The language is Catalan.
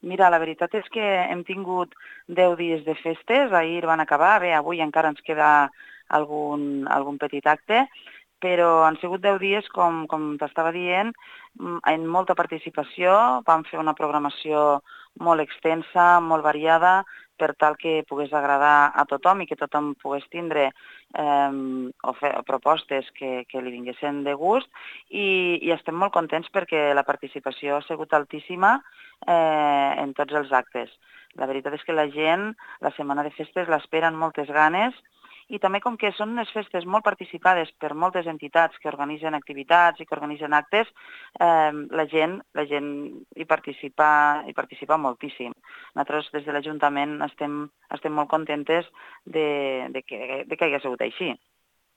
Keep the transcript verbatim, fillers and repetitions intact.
Mira, la veritat és que hem tingut deu dies de festes, ahir van acabar, bé, avui encara ens queda algun, algun petit acte, però han sigut deu dies, com, com t'estava dient, en molta participació, vam fer una programació molt extensa, molt variada, per tal que pogués agradar a tothom i que tothom pogués tindre eh, o fer propostes que, que li vinguessin de gust i, i estem molt contents perquè la participació ha sigut altíssima eh, en tots els actes. La veritat és que la gent, la setmana de festes, l'espera amb moltes ganes i també com que són unes festes molt participades per moltes entitats que organitzen activitats i que organitzen actes, eh, la gent, la gent hi participa, hi participa moltíssim. Nosaltres des de l'Ajuntament estem, estem molt contentes de, de, que, de que hagi sigut així.